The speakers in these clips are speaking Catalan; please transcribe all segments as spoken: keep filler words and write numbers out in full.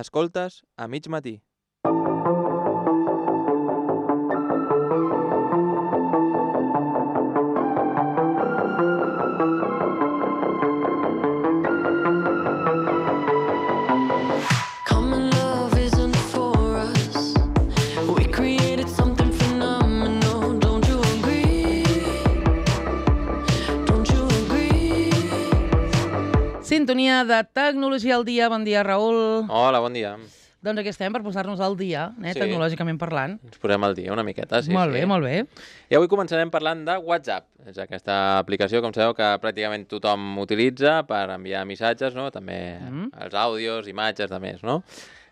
Escoltes a mig matí. Sintonia de Tecnologia al dia. Bon dia, Raül. Hola, bon dia. Doncs aquí estem per posar-nos al dia, eh, Sí. tecnològicament parlant. Ens posem al dia una miqueta, sí. Molt sí. bé, molt bé. I avui començarem parlant de WhatsApp. És aquesta aplicació, com sabeu, que pràcticament tothom utilitza per enviar missatges, no? També Mm. els àudios, imatges, de més, no?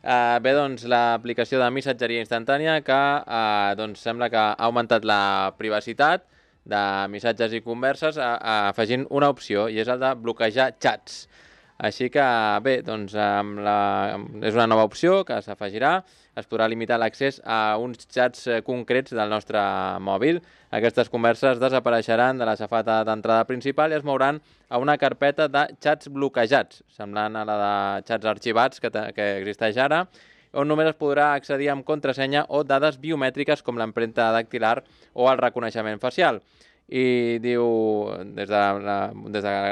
Uh, bé, doncs, l'aplicació de missatgeria instantània que uh, doncs, sembla que ha augmentat la privacitat de missatges i converses a, a, afegint una opció, i és el de bloquejar xats. Així que, bé, doncs, amb la... és una nova opció que s'afegirà. Es podrà limitar l'accés a uns xats concrets del nostre mòbil. Aquestes converses desapareixeran de la safata d'entrada principal i es mouran a una carpeta de xats bloquejats, semblant a la de xats arxivats que, que existeix ara, on només es podrà accedir amb contrasenya o dades biomètriques com l'empremta dactilar o el reconeixement facial. I diu, des de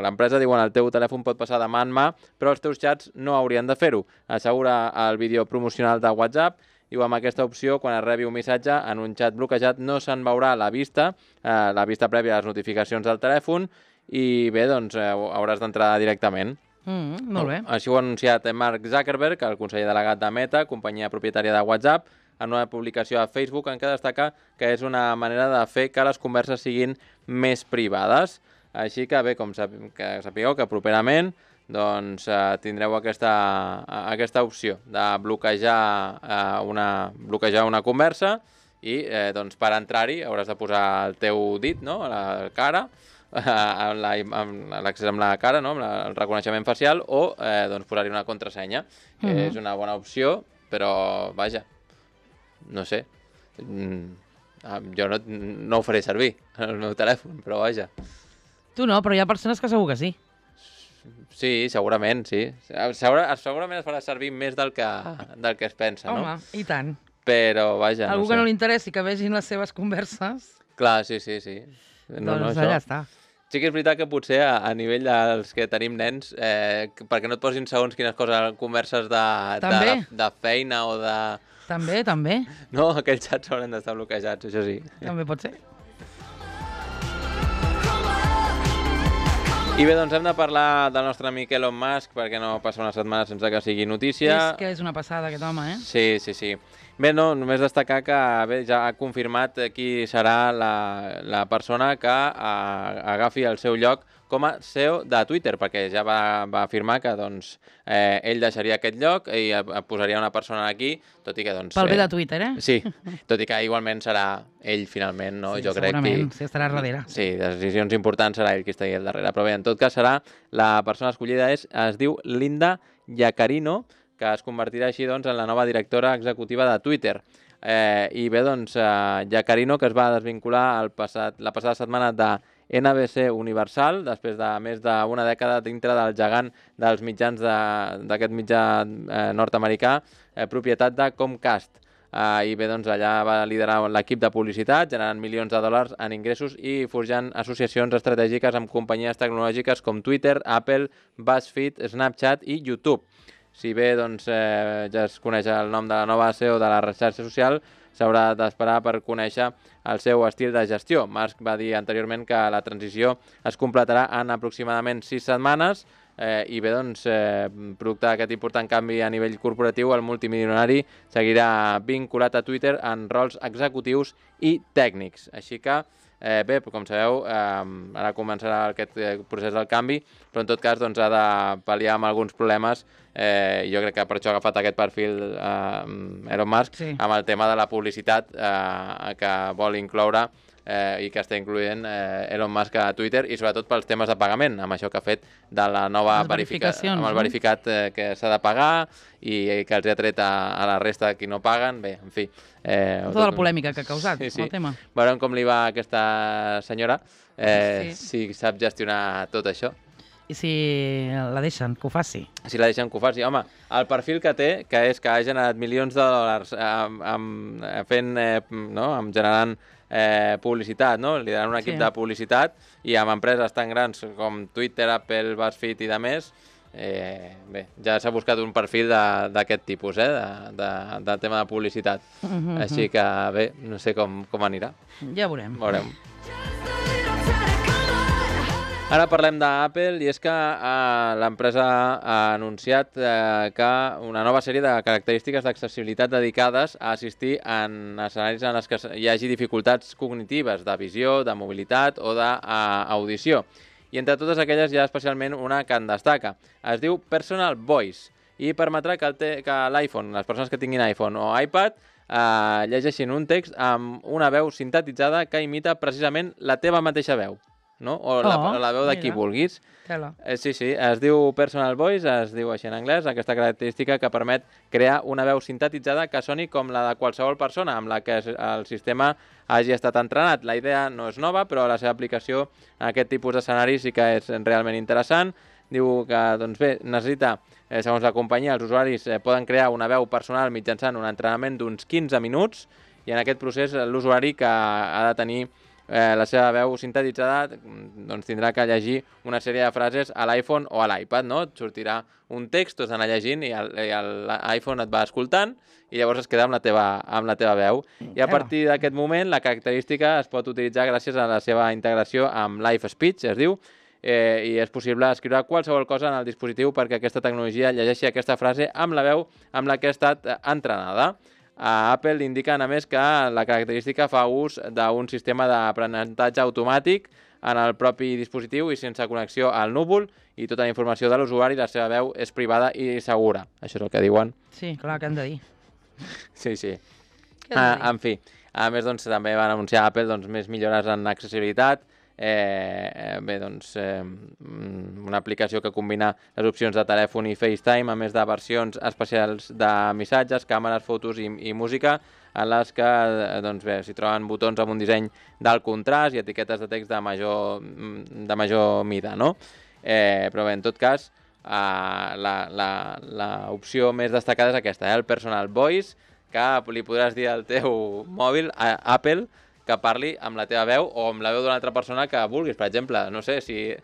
l'empresa diuen el teu telèfon pot passar de mà en mà, però els teus xats no haurien de fer-ho. Assegura el vídeo promocional de WhatsApp. Diu, amb aquesta opció, quan es rebi un missatge en un xat bloquejat, no se'n veurà la vista, eh, la vista prèvia a les notificacions del telèfon, i bé, doncs eh, hauràs d'entrar directament. Mm, molt bé. Així ho ha anunciat Mark Zuckerberg, el conseller delegat de Meta, companyia propietària de WhatsApp, en una publicació a Facebook en què destaca que és una manera de fer que les converses siguin més privades. Així que bé, com sap, que sapigueu que properament doncs, eh, tindreu aquesta, aquesta opció de bloquejar, eh, una, bloquejar una conversa i eh, doncs, per entrar-hi hauràs de posar el teu dit, no?, a la cara, amb l'accés amb la cara, no?, amb la, el reconeixement facial, o eh, doncs, posar-hi una contrasenya, que mm-hmm. és una bona opció, però vaja, no sé, jo no, no ho faré servir en el meu telèfon, però vaja. Tu no, però hi ha persones que segur que sí. Sí, segurament, sí. Segura, segurament es farà servir més del que, del que es pensa, Home, no? Home, i tant. Però vaja, Algú no sé. que no li interessi que vegin les seves converses, Clar, sí, sí, sí. No, doncs no, allà això. està. Sí que és veritat que potser a, a nivell dels que tenim nens, eh, perquè no et posin segons quines coses, converses de, de, de feina o de... També, també. No, aquells xats hauran d'estar bloquejats, això sí. També pot ser. I bé, doncs hem de parlar del nostre amic Elon Musk, perquè no passa una setmana sense que sigui notícia. És que és una passada aquest home, eh? Sí, sí, sí. Bé, no, només destacar que bé, ja ha confirmat qui serà la, la persona que a, agafi el seu lloc com a C E O de Twitter, perquè ja va, va afirmar que doncs, eh, ell deixaria aquest lloc i posaria una persona aquí, tot i que... Doncs, Pel bé de Twitter, eh? Sí, tot i que igualment serà ell finalment, no? Sí, jo crec segurament, que... sí, estarà darrere. Sí, de decisions importants serà ell qui estigui al darrere, però bé, en tot cas serà la persona escollida és, es diu Linda Yaccarino, que es convertirà així doncs, en la nova directora executiva de Twitter. Eh, I bé, doncs, eh, Yaccarino, que es va desvincular el passat, la passada setmana de N B C Universal, després de més d'una dècada dintre del gegant dels mitjans d'aquest mitjà eh, nord-americà, eh, propietat de Comcast. Eh, I bé, doncs, allà va liderar l'equip de publicitat, generant milions de dòlars en ingressos i forjant associacions estratègiques amb companyies tecnològiques com Twitter, Apple, BuzzFeed, Snapchat i YouTube. Si bé doncs, eh, ja es coneix el nom de la nova C E O de la xarxa social, s'haurà d'esperar per conèixer el seu estil de gestió. Musk va dir anteriorment que la transició es completarà en aproximadament sis setmanes eh, i bé, doncs, eh, producte d'aquest important canvi a nivell corporatiu, el multimilionari seguirà vinculat a Twitter en rols executius i tècnics. Així que, eh, bé, com sabeu, eh, ara començarà aquest procés del canvi, però en tot cas doncs, ha de pal·liar amb alguns problemes. Eh, jo crec que per això ha agafat aquest perfil eh, Elon Musk, sí, amb el tema de la publicitat eh, que vol incloure eh, i que està incloent eh, Elon Musk a Twitter, i sobretot pels temes de pagament, amb això que ha fet de la nova verificació, amb el verificat eh, que s'ha de pagar i, i que els ha tret a, a la resta de qui no paguen. Bé, en fi. Eh, tota la polèmica que ha causat, sí, sí, el tema. Veurem com li va a aquesta senyora, eh, sí, si sap gestionar tot això. I si la deixen, que ho faci. Si la deixen que ho faci. Home, el perfil que té, que és que ha generat milions de dòlars amb, amb, fent, eh, no? amb generant eh, publicitat, no? liderant un equip Sí. de publicitat i amb empreses tan grans com Twitter, Apple, BuzzFeed i de més, eh, bé, ja s'ha buscat un perfil d'aquest tipus, eh? de, de, de tema de publicitat. Mhm, Així que, bé, no sé com, com anirà. Ja veurem. Veurem. Ara parlem d'Apple i és que eh, l'empresa ha anunciat eh, que una nova sèrie de característiques d'accessibilitat dedicades a assistir en escenaris en els que hi hagi dificultats cognitives de visió, de mobilitat o d'audició. I entre totes aquelles hi ha especialment una que en destaca. Es diu Personal Voice i permetrà que l'iPhone, les persones que tinguin iPhone o iPad, eh, llegeixin un text amb una veu sintetitzada que imita precisament la teva mateixa veu. No? O la, Oh, la veu de qui mira. vulguis. Tela. Eh, sí, sí, es diu Personal Voice, es diu així en anglès, aquesta característica que permet crear una veu sintetitzada que soni com la de qualsevol persona amb la que el sistema hagi estat entrenat. La idea no és nova, però la seva aplicació en aquest tipus d'escenari sí que és realment interessant. Diu que, doncs bé, necessita, eh, segons la companyia, els usuaris eh, poden crear una veu personal mitjançant un entrenament d'uns quinze minuts i en aquest procés l'usuari que ha de tenir Eh, la seva veu sintetitzada doncs tindrà que llegir una sèrie de frases a l'iPhone o a l'iPad, no? Et sortirà un text, tu has d'anar llegint i l'iPhone et va escoltant i llavors es queda amb la teva, amb la teva veu. I a partir d'aquest moment la característica es pot utilitzar gràcies a la seva integració amb Live Speech, es diu, eh, i és possible escriure qualsevol cosa en el dispositiu perquè aquesta tecnologia llegeixi aquesta frase amb la veu amb la que ha estat entrenada. A Apple indiquen, a més, que la característica fa ús d'un sistema d'aprenentatge automàtic en el propi dispositiu i sense connexió al núvol i tota la informació de l'usuari, la seva veu és privada i segura. Això és el que diuen. Sí, clar, què han de dir? Sí, sí. Què han de Ah, dir? en fi, a més, doncs, també van anunciar a Apple doncs, més millores en accessibilitat. Eh, eh, bé, doncs, eh, una aplicació que combina les opcions de telèfon i FaceTime, a més de versions especials de missatges, càmeres, fotos i, i música, en les que doncs, bé, s'hi troben botons amb un disseny d'alt contrast i etiquetes de text de major, de major mida, no? Eh, però bé, en tot cas, eh, l'opció més destacada és aquesta, eh, el Personal Voice, que li podràs dir al teu mòbil, a Apple, que parli amb la teva veu o amb la veu d'una altra persona que vulguis. Per exemple, no sé, si,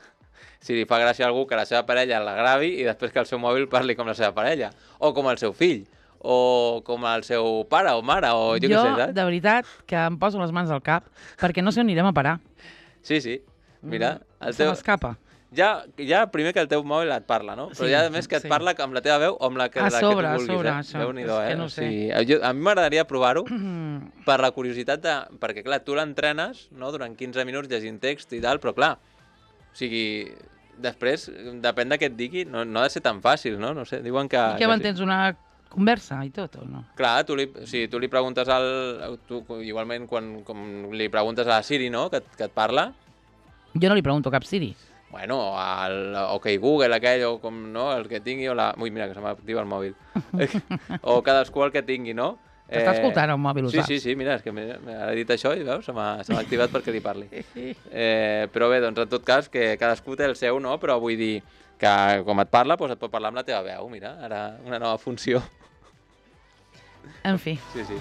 si li fa gràcia a algú que la seva parella la gravi i després que el seu mòbil parli com la seva parella, o com el seu fill, o com el seu pare o mare, o jo, Jo, què sé, saps? de veritat, que em poso les mans al cap, perquè no sé on anirem a parar. Sí, sí, mira. El Se teu... m'escapa. Ja, ja primer que el teu mòbil et parla, no? Però Sí, ja a més que et sí. parla amb la teva veu o amb la que, A la sobre, que a tu vulguis, sobre, eh? això. Déu-n'hi-do, És eh? que no O sé. sigui, jo, a mi m'agradaria provar-ho per la curiositat de... Perquè, clar, tu l'entrenes, no?, durant quinze minuts llegint text i tal, però, clar, o sigui, després, depèn de què et digui, no, no ha de ser tan fàcil, no? No sé, diuen que... I què que mantens, una conversa i tot, o no? Clar, tu li, si tu li preguntes al... Tu, igualment, quan com li preguntes a la Siri, no?, que, et- que et parla, Jo no li pregunto cap Siri. bueno, al OK Google aquell, o com, no?, el que tingui, o la... Ui, mira, que se m'activa el mòbil. O cadascú el que tingui, no? T'està escoltant el mòbil, ho sí, saps. Sí, sí, mira, és que m'he m'ha dit això i veus, se m'ha se m'ha activat perquè li parli. Eh, però bé, doncs en tot cas, que cadascú té el seu, no? Però vull dir que com et parla, doncs et pot parlar amb la teva veu, mira, ara una nova funció. En fi. Sí, sí.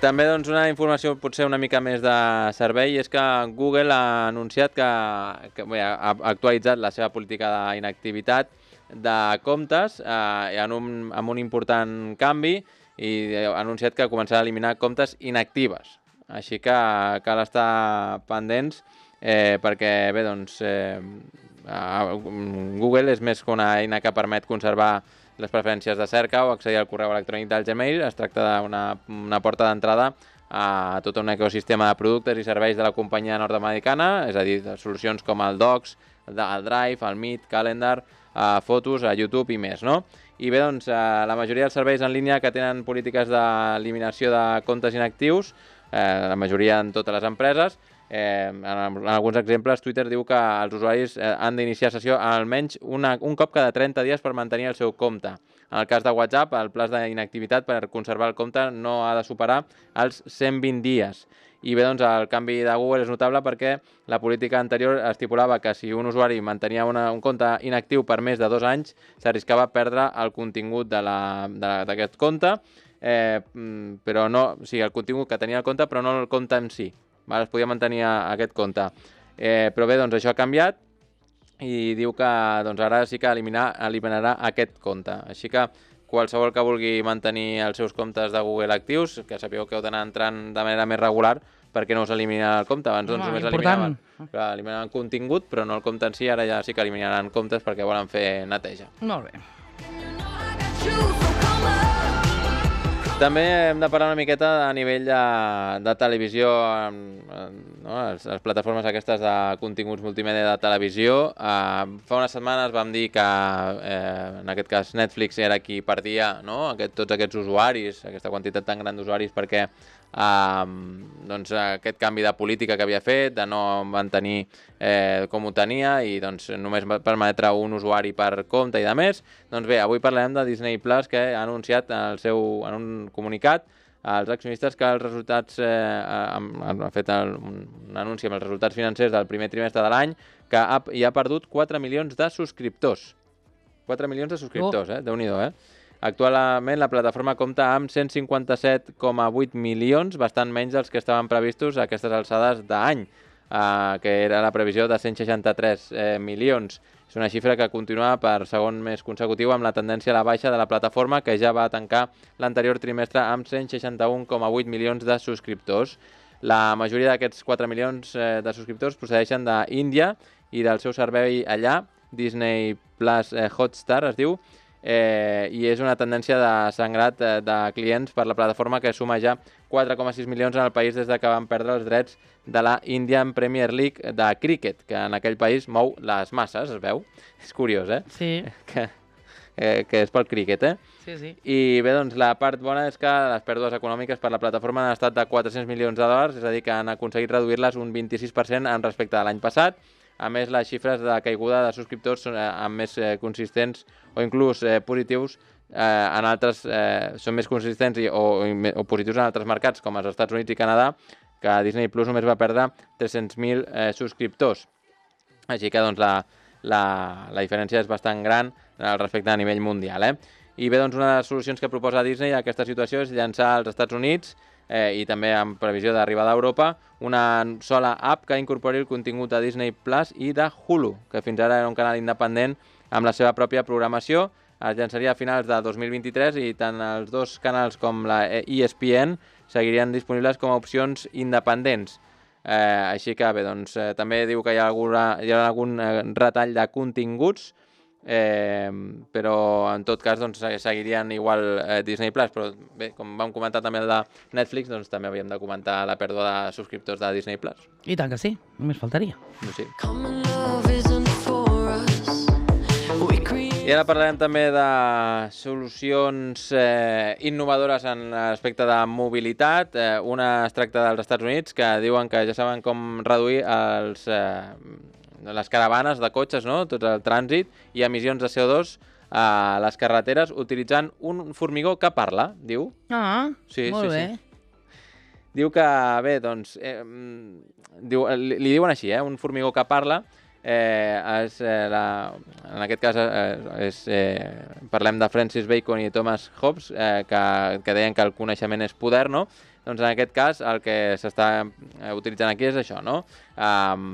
També doncs, una informació potser una mica més de servei és que Google ha anunciat que, que bé, ha actualitzat la seva política d'inactivitat de comptes eh, en un, amb un important canvi i ha anunciat que començarà a eliminar comptes inactives. Així que cal estar pendents eh, perquè bé, doncs, eh, Google és més que una eina que permet conservar les preferències de cerca o accedir al correu electrònic del Gmail. Es tracta d'una una porta d'entrada a tot un ecosistema de productes i serveis de la companyia nord-americana, és a dir, de solucions com el Docs, el Drive, el Meet, Calendar, a fotos, a YouTube i més, no? I bé, doncs, la majoria dels serveis en línia que tenen polítiques d'eliminació de comptes inactius, eh, la majoria en totes les empreses, Eh, en, en alguns exemples, Twitter diu que els usuaris eh, han d'iniciar sessió almenys una, un cop cada trenta dies per mantenir el seu compte. En el cas de WhatsApp, el plaç d'inactivitat per conservar el compte no ha de superar els cent vint dies. I bé, doncs el canvi de Google és notable perquè la política anterior estipulava que si un usuari mantenia una, un compte inactiu per més de dos anys, s'arriscava a perdre el contingut d'aquest compte, eh, però no, o sigui, el contingut que tenia el compte, però no el compte en si. Val? Es podia mantenir aquest compte. Eh, però bé, doncs això ha canviat i diu que doncs, ara sí que eliminar, eliminarà aquest compte. Així que qualsevol que vulgui mantenir els seus comptes de Google actius, que sapigueu que heu d'anar entrant de manera més regular, perquè no us elimina el compte. Abans doncs, només eliminaven, clar, eliminaven contingut, però no el compte en si, ara ja sí que eliminaran comptes perquè volen fer neteja. Molt bé. També hem de parlar una miqueta a nivell de, de televisió, no? les, les plataformes aquestes de continguts multimèdia de televisió. Uh, fa unes setmanes vam dir que, eh, en aquest cas, Netflix era qui perdia, no? Aquest, tots aquests usuaris, aquesta quantitat tan gran d'usuaris, perquè uh, doncs, aquest canvi de política que havia fet, de no mantenir eh, com ho tenia i doncs, només permetre un usuari per compte i de més. Doncs bé, avui parlarem de Disney Plus, que ha anunciat el seu, en un comunicat als accionistes que els resultats, eh, han, han fet el, un anunci amb els resultats financers del primer trimestre de l'any, que ha, hi ha perdut quatre milions de subscriptors. quatre milions de subscriptors, oh. eh? Déu-n'hi-do, eh? Actualment la plataforma compta amb cent cinquanta-set coma vuit milions, bastant menys dels que estaven previstos a aquestes alçades d'any, eh, que era la previsió de cent seixanta-tres eh, milions. És una xifra que continua per segon mes consecutiu amb la tendència a la baixa de la plataforma, que ja va tancar l'anterior trimestre amb cent seixanta-un coma vuit milions de subscriptors. La majoria d'aquests quatre milions eh, de subscriptors procedeixen d'Índia i del seu servei allà, Disney Plus eh, Hotstar es diu, eh, i és una tendència de sangrat eh, de clients per la plataforma, que suma ja quatre coma sis milions en el país des de que van perdre els drets de la Indian Premier League de cricket, que en aquell país mou les masses, es veu? És curiós, eh? Sí. Que, eh, que és pel cricket, eh? Sí, sí. I bé, doncs la part bona és que les pèrdues econòmiques per la plataforma han estat de quatre-cents milions de dòlars, és a dir, que han aconseguit reduir-les un vint-i-sis per cent en respecte a l'any passat. A més, les xifres de caiguda de subscriptors són eh, més eh, consistents o inclús eh, positius eh, en altres, eh, són més consistents i, o, o positius en altres mercats, com els Estats Units i Canadà, que Disney Plus només va perdre tres-cents mil eh, subscriptors. Així que doncs, la, la, la diferència és bastant gran al respecte a nivell mundial. Eh? I bé, doncs, una de les solucions que proposa Disney a aquesta situació és llançar als Estats Units eh, i també amb previsió d'arribar a Europa una sola app que incorpori el contingut de Disney Plus i de Hulu, que fins ara era un canal independent amb la seva pròpia programació. Es llançaria a finals de dos mil vint-i-tres i tant els dos canals com la E S P N seguirien disponibles com a opcions independents. Eh, així que bé, doncs, eh, també diu que hi ha, alguna, hi ha algun eh, retall de continguts, eh, però en tot cas doncs, seguirien igual eh, Disney Plus, però bé, com vam comentar també el de Netflix, doncs també havíem de comentar la pèrdua de subscriptors de Disney Plus. I tant que sí, només faltaria. Sí. I ara parlarem també de solucions eh, innovadores en l'aspecte de mobilitat. Eh, una es tracta dels Estats Units, que diuen que ja saben com reduir els, eh, les caravanes de cotxes, no? Tot el trànsit i emissions de C O dos a les carreteres utilitzant un formigó que parla, diu. Ah, sí, molt sí, bé. Sí. Diu que, bé, doncs, eh, diu, li, li diuen així, eh, un formigó que parla. Eh, és, eh, la, en aquest cas eh, és, eh, parlem de Francis Bacon i Thomas Hobbes, eh, que, que deien que el coneixement és poder, no? Doncs en aquest cas el que s'està eh, utilitzant aquí és això, no? Um,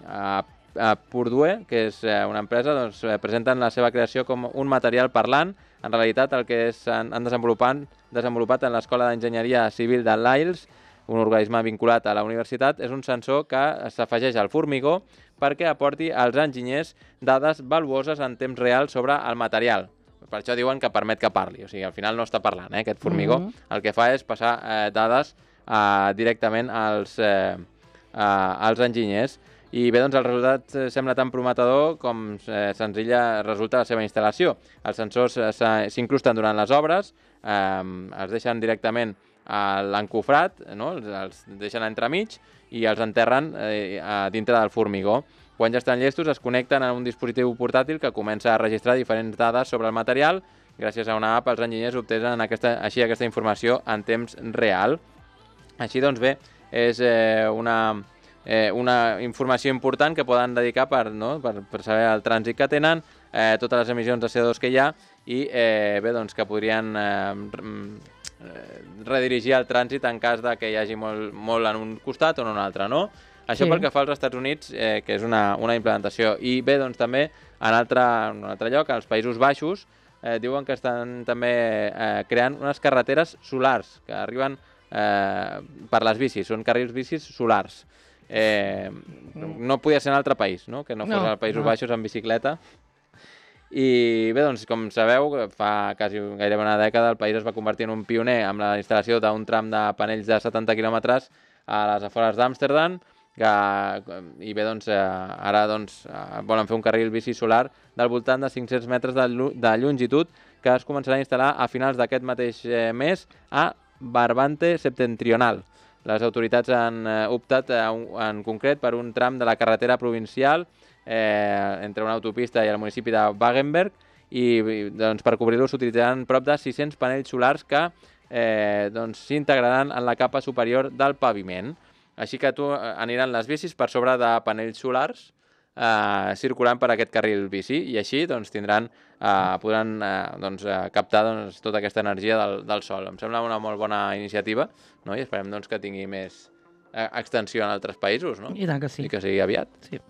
a, a Purdue, que és eh, una empresa, doncs, eh, presenten la seva creació com un material parlant. En realitat el que és, han, han desenvolupat, desenvolupat en l'Escola d'Enginyeria Civil de Lyles, un organisme vinculat a la universitat, és un sensor que s'afegeix al formigó perquè aporti als enginyers dades valuoses en temps real sobre el material. Per això diuen que permet que parli, o sigui, al final no està parlant, eh, aquest formigó. Mm-hmm. El que fa és passar eh, dades eh, directament als, eh, eh, als enginyers. I bé, doncs el resultat eh, sembla tan prometedor com eh, senzilla resulta la seva instal·lació. Els sensors eh, s'incrusten durant les obres, eh, es deixen directament a l'encofrat, no? els, els deixen entremig i els enterren eh, dintre del formigó. Quan ja estan llestos es connecten a un dispositiu portàtil que comença a registrar diferents dades sobre el material. Gràcies a una app els enginyers obtenen aquesta, així aquesta informació en temps real. Així doncs bé, és eh, una, eh, una informació important que poden dedicar per, no? per, per saber el trànsit que tenen, eh, totes les emissions de C O dos que hi ha i eh, bé, doncs, que podrien eh, redirigir el trànsit en cas de que hi hagi molt, molt en un costat o en un altre, no? Això Sí. pel que fa als Estats Units, eh, que és una, una implementació. I bé, doncs també en, altre, en un altre lloc, als Països Baixos, eh, diuen que estan també eh, creant unes carreteres solars que arriben eh, per les bicis, són carrils bicis solars. Eh, no podia ser en altre país, no? Que no fos No, als Països no. Baixos en bicicleta. I bé, doncs, com sabeu, fa quasi gairebé una dècada el país es va convertir en un pioner amb la instal·lació d'un tram de panells de setanta quilòmetres a les afores d'Amsterdam, que, i bé, doncs, eh, ara doncs, eh, volen fer un carril bici solar del voltant de cinc-cents metres de, de longitud que es començarà a instal·lar a finals d'aquest mateix eh, mes a Barbante Septentrional. Les autoritats han eh, optat eh, un, en concret per un tram de la carretera provincial eh, entre una autopista i el municipi de Wagenberg i doncs, per cobrir-lo s'utilitzaran prop de sis-cents panells solars que eh, doncs, s'integraran en la capa superior del paviment. Així que tu aniran les bicis per sobre de panells solars eh, circulant per aquest carril bici i així doncs, tindran, eh, podran eh, doncs, eh, captar doncs, tota aquesta energia del, del sol. Em sembla una molt bona iniciativa, no? I esperem doncs, que tingui més eh, extensió en altres països, no? I tant que sí. I que sigui aviat. Sí.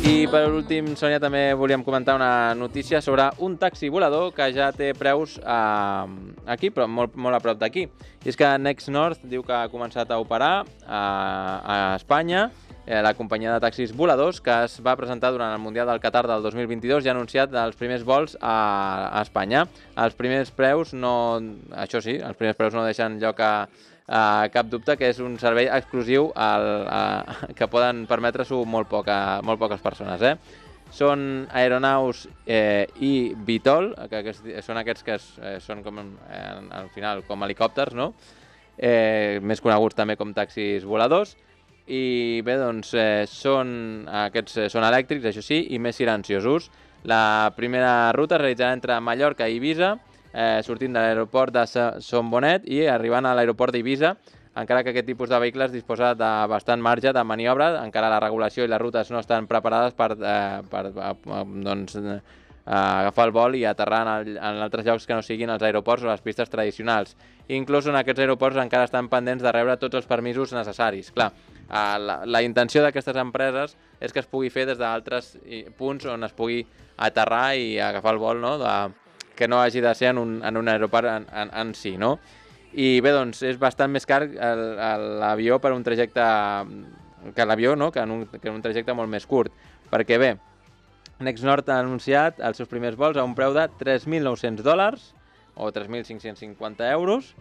I per últim, Sònia, també volíem comentar una notícia sobre un taxi volador que ja té preus eh, aquí, però molt, molt a prop d'aquí. I és que Next North diu que ha començat a operar eh, a Espanya, eh, la companyia de taxis voladors, que es va presentar durant el Mundial del Qatar del dos mil vint-i-dos i ha anunciat els primers vols a, a Espanya. Els primers preus no... Això sí, els primers preus no deixen lloc a Uh, cap dubte que és un servei exclusiu al, uh, que poden permetre-s'ho molt, poca, molt poques persones. Eh? Són aeronaus eh, i Vitol, que, que són aquests que es, eh, són com, eh, al final com helicòpters, no? eh, més coneguts també com taxis voladors. I bé, doncs, eh, són, aquests són elèctrics, això sí, i més silenciosos. La primera ruta es realitzarà entre Mallorca i Eivissa, Eh, sortint de l'aeroport de Son Bonet i arribant a l'aeroport d'Eivissa, encara que aquest tipus de vehicles disposa de bastant marge de maniobra, encara la regulació i les rutes no estan preparades per, eh, per eh, doncs, eh, agafar el vol i aterrar en, el, en altres llocs que no siguin els aeroports o les pistes tradicionals. Inclús en aquests aeroports encara estan pendents de rebre tots els permisos necessaris. Clar, eh, la, la intenció d'aquestes empreses és que es pugui fer des d'altres punts on es pugui aterrar i agafar el vol, no?, de, que no hagi de ser en un, en un aeroport en, en, en si, no? I bé, doncs, és bastant més car l'avió per un trajecte que l'avió, no?, que en, un, que en un trajecte molt més curt. Perquè bé, Next North ha anunciat els seus primers vols a un preu de tres mil nou-cents dòlars o tres mil cinc-cents cinquanta euros.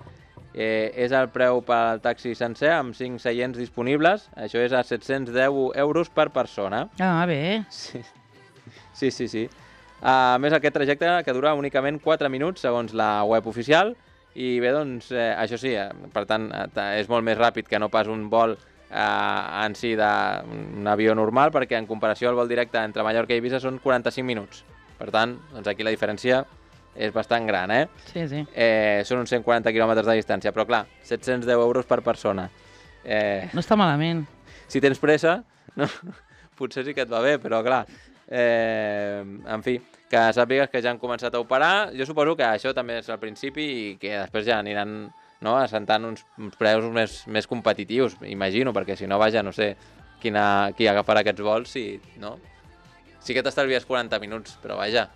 Eh, és el preu per al taxi sencer amb cinc seients disponibles. Això és a set-cents deu euros per persona. Ah, bé. Sí, sí, sí. sí. A més, aquest trajecte que dura únicament quatre minuts, segons la web oficial, i bé, doncs, eh, això sí, eh, per tant, eh, és molt més ràpid que no pas un vol eh, en si d'un avió normal, perquè en comparació al vol directe entre Mallorca i Eivissa són quaranta-cinc minuts. Per tant, doncs aquí la diferència és bastant gran, eh? Sí, sí. eh són uns cent quaranta quilòmetres de distància, però clar, set-cents deu euros per persona. Eh, No està malament. si tens pressa, no? Potser sí que et va bé, però clar... Eh, en fi, que sàpigues que ja han començat a operar. Jo suposo que això també és al principi i que després ja aniran, no?, assentant uns, uns preus més, més competitius, imagino, perquè si no, vaja, no sé quina, qui agafarà aquests vols, si, no? Sí que t'estalvies quaranta minuts, però vaja.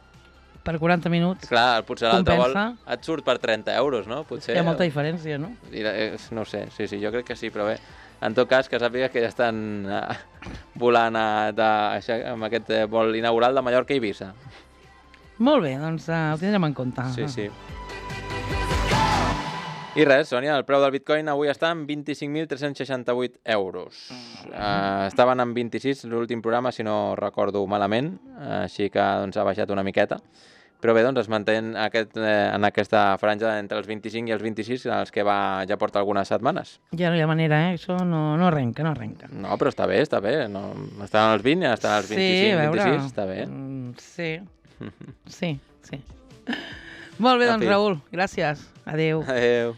Per quaranta minuts. Clar, potser l'altre vol Compensa. et surt per trenta euros, no? Potser, Hi ha molta diferència, no? no ho sé, sí, sí, jo crec que sí, però bé, en tot cas, que sàpigues que ja estan uh, volant uh, de, això, amb aquest uh, vol inaugural de Mallorca i Eivissa. Molt bé, doncs uh, ho tindrem en compte. Sí, sí. I res, Sònia, el preu del bitcoin avui està en vint-i-cinc mil tres-cents seixanta-vuit euros. Uh, estaven en vint-i-sis l'últim programa, si no recordo malament, uh, així que doncs, ha baixat una miqueta. Però bé, doncs es manté aquest, eh, en aquesta franja entre els vint-i-cinc i els vint-i-sis, en els que va, ja porta algunes setmanes. Ja no hi ha manera, eh? Això no, no arrenca, no arrenca. No, però està bé, està bé. No, estan als vint, estan als vint-i-cinc, vint-i-sis, està bé. Mm, sí, sí, sí. Molt bé, doncs, En fi. Raül, gràcies. Adéu. Adéu.